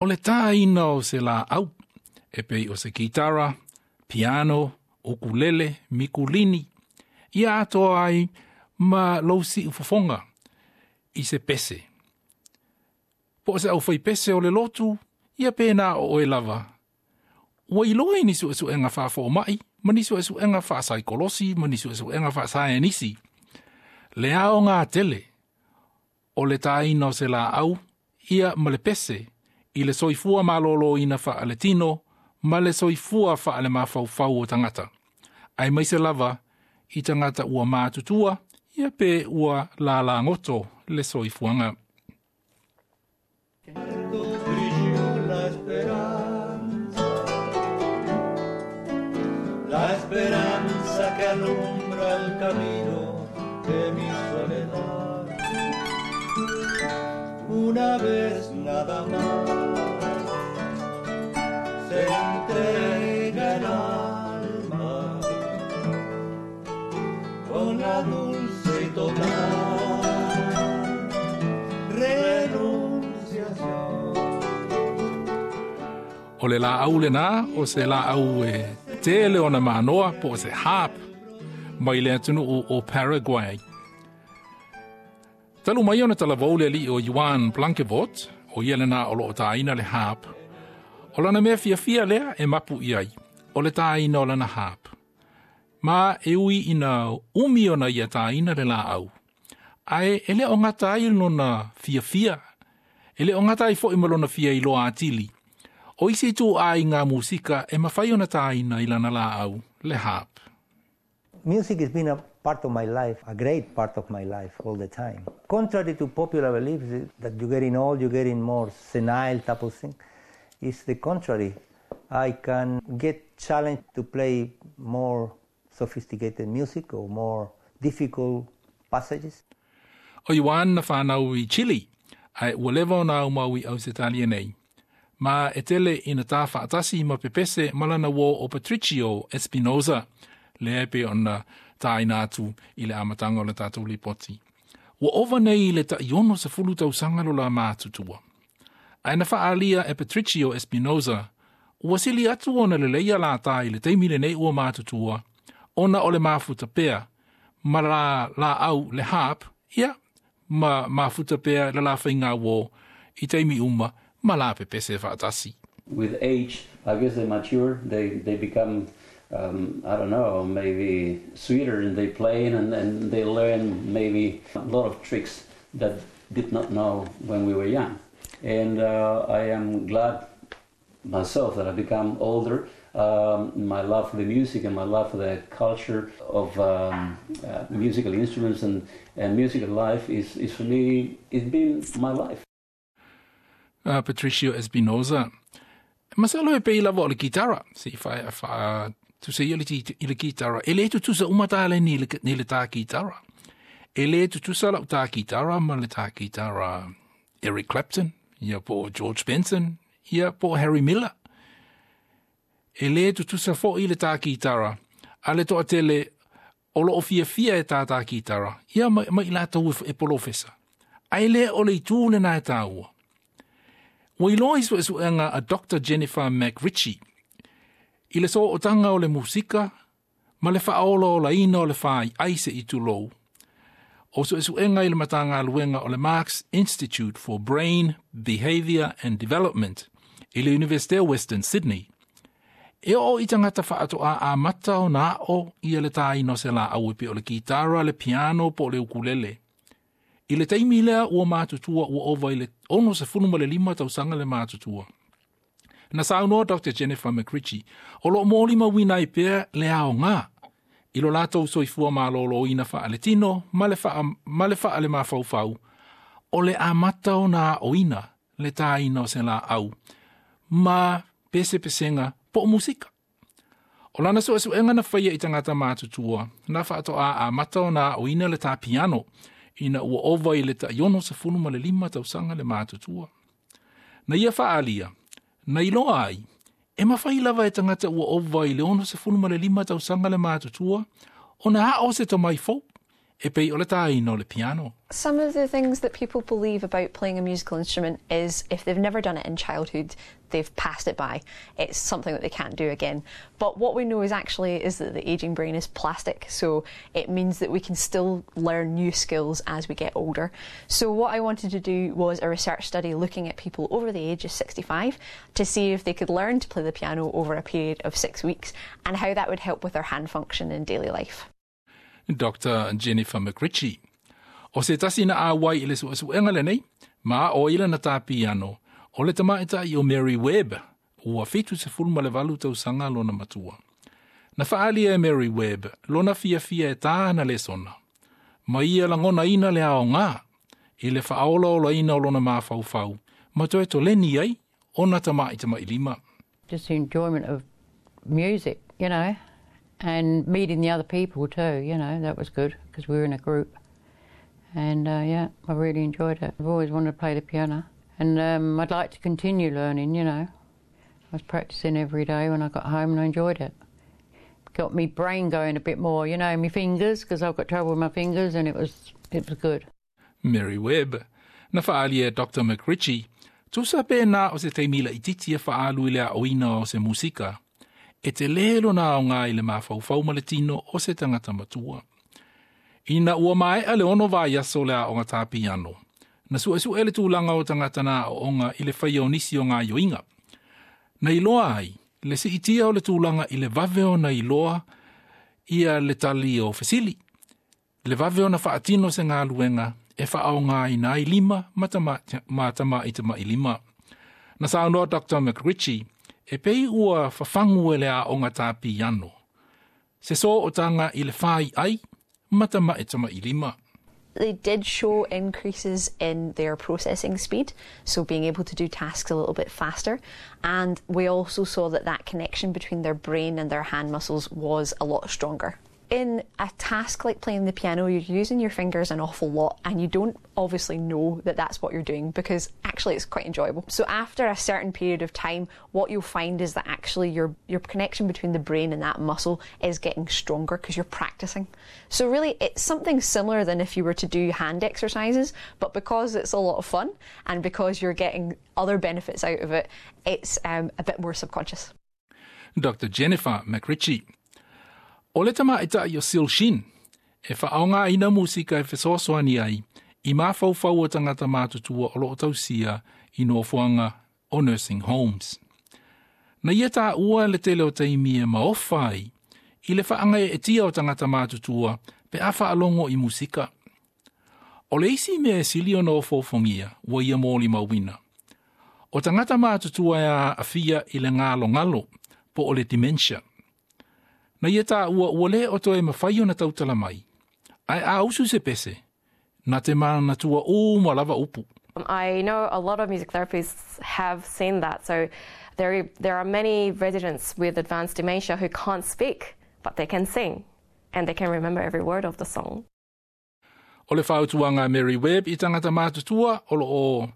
O le tāina o se laau, e pei o se kitara, piano, ukulele, mikulini, ia atoa ai ma lou siufofoga i se pese. Po o se aufaipese o le lotu, ia pe na o oe lava. Ua iloa i ni suesuega faafoomai, ma ni suesuega faasaikolosi, ma ni suesuega faasaenisi. Le aoga tele o le tāina o se laau, ia ma le pese, i le soifua malōlōina faaletino, ma le soifua faalemafaufau o tagata. Aemaise lava i tagata ua matutua, ia pe ua lalagoto le soifuaga. Brilló la esperanza, la esperanza que alumbra el camino de mi soledad. Una vez nada más se entrega el alma con la dulce y total renunciación. O le laau lenā, o se laau e tele ona manoa po o se harp mai le atunuu o Paraguay. Talu mai ona talavou le alii o Juan Blanquevort, o ia lenā o loo tāina le harp. O lana mea fiafia lea e mapu i ai, o le tāina o lana harp. Ma e ui ina umi ona ia tāina le laau. Ae e le o gata ai lona fiafia, e le o gata ai foi ma lona fia iloa atili. O isi ituaiga musika e mafai ona tāina i lana laau, le harp. Music has been a part of my life, a great part of my life all the time. Contrary to popular beliefs that you're getting old, you're getting more senile type of thing, it's the contrary. I can get challenged to play more sophisticated music or more difficult passages. O Juan na whanau i Chile, ae ua leva ona aumau i Ausetalia nei. Ma e tele ina tā faatasi ma pepese ma lana uō o Patricio Espinosa, lea e pei ona tāina atu i le amataga o le tatou lipoti. Ua ova nei i le tai 60 tausaga lo la matutua. Ae na faaalia e Patricio Espinosa, ua sili atu ona lelei ia la tā i le taimi lenei ua matutua, ona o le mafuta pea ma la laau le harp, ia, ma mafuta pea le la faiga uō i taimi uma ma la pepese faatasi. With age, I guess they mature, they become, I don't know, maybe sweeter in their playing and they learn maybe a lot of tricks that did not know when we were young. And I am glad myself that I've become older. My love for the music and my love for the culture of musical instruments and musical life is for me, it's been my life. Patricio Espinosa. Masalo e pei lava o le kitara, se i fa tu se i le kitara. E le tutusa uma tā le ni le tā kitara. E le tutusa lau tā kitara ma le tā kitara Eric Clapton, ia po George Benson, ia po Harry Miller. E le tutusa foi le tā kitara, a le toatele o loo fiafia e tā tā kitara, ia ma i latou e polofesa. Ae le o le itu lenā e tāua. Ua iloa i suesuega a Dr. Jennifer McRitchie, i le sootaga o le musika ma le faaolaolaina o le faaiai se'i tulou. O suesuega i le Matagaluega o le Marx Institute for Brain, Behaviour and Development i le Universite o Western Sydney. E oo i tagata faatoa amata ona aʻo ia le tāina o se laau e pei o le kitara, le piano po o le ukulele. I le taimi lea ua matutua ua ova i le 65 tausaga le matutua. Na saunoa Dr. Jennifer McRitchie, o loo molimauina ai pea le aoga i lo latou soifua malōlōina faaletino ma le faalemafaufau o le amata ona aʻoina le tāina o se laau ma pesepesega po o musika. O lana suesuega na faia i tagata matutua, na faatoa amata ona aʻoina le tā piano ina ua ova i le tai 65 tausaga le matutua. Na ia faaalia, na iloa ai, e mafai lava e tagata ua ova i le 65 tausaga le matutua, ona aʻo se tomai fou, E pei o le tāina o le piano. Some of the things that people believe about playing a musical instrument is if they've never done it in childhood, they've passed it by. It's something that they can't do again. But what we know is actually is that the aging brain is plastic, so it means that we can still learn new skills as we get older. So what I wanted to do was a research study looking at people over the age of 65 to see if they could learn to play the piano over a period of 6 weeks and how that would help with their hand function in daily life. Dr. Jennifer McRitchie. O se tasi na auai i le suesuega lenei, ma o ila na tā piano, o le tamaitai o Mary Webb, ua 78 tausaga lona matua. Na faaalia e Mary Webb lona fiafia e tā ana lesona, ma ia lagonaina le aoga i le faaolaolaina o lona mafaufau, ma toe toleni ai ona tamaitamailima. Just the enjoyment of music, and meeting the other people too, that was good because we were in a group. And yeah, I really enjoyed it. I've always wanted to play the piano, and I'd like to continue learning. I was practicing every day when I got home and I enjoyed it. Got me brain going a bit more, my fingers, because I've got trouble with my fingers, and it was good. Mary Webb. Na faaalia e Dr. McRitchie, tusa pe na o se taimi laitiiti e faaalu i le aoina o se musika, e telē lona aoga i le mafaufau ma le tino o se tagata matua. Ina ua maea le 6 vaiaso le aoga tā piano, na suesue le tulaga o tagata na aooga i le faia o nisi o gaoioiga. Na iloa ai, le siitia o le tulaga i le vave ona iloa ia le tali o fesili. Le vave ona faatino se galuega e faaaogaina ai lima ma tamaitamailima. Na saunoa Dr. McRitchie, e pei ua fafagu e le aoga tā piano. Se sootaga i le fai ai ma tamaitamailima. They did show increases in their processing speed, so being able to do tasks a little bit faster. And we also saw that that connection between their brain and their hand muscles was a lot stronger. In a task like playing the piano, you're using your fingers an awful lot, and you don't obviously know that that's what you're doing because actually it's quite enjoyable. So after a certain period of time, what you'll find is that actually your connection between the brain and that muscle is getting stronger because you're practicing. So really it's something similar than if you were to do hand exercises, but because it's a lot of fun and because you're getting other benefits out of it, it's a bit more subconscious. Dr. Jennifer McRitchie. O le tamaitai o Sil Shin, e faaaogaina musika e fesoasoani ai, i mafaufau o tagata matutua o loo tausia i nofoaga o nursing homes. Na ia taua le tele o taimi e maofa ai, i le faagaeetia o tagata matutua pe a faalogo i musika. O le isi mea e sili ona ofoofogia ua ia molimauina. O tagata matutua e aafia i le galogalo po o le dementia. Na ia taua ua lē o toe mafai ona tautala mai. Ae a usu se pese, na te manatua uma lava upu. I know a lot of music therapists have seen that. So there are many residents with advanced dementia who can't speak, but they can sing and they can remember every word of the song. O le fautuaga a Mary Webb i tagata matutua o loo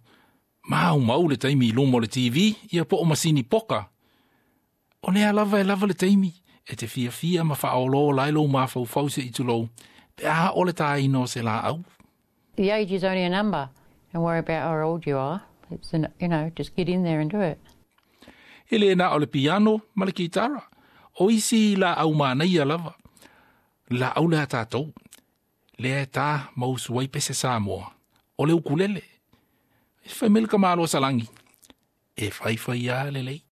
maumau le taimi i luma o le TV ia po o masini poka. O lea lava e lava le taimi e te fiafia ma faaolaola ai lou mafaufau se'i tulou pe a o le tāina o se laau. The age is only a number. Don't worry about how old you are. It's an, you know, just get in there and do it. E le na o le piano ma le kitara. O isi laau manaia lava. Laau lea tātou. Lea tā ma usu ai pese Samoa. O le ukulele. E fai mai le ka malo salagi. E faifai a lelei.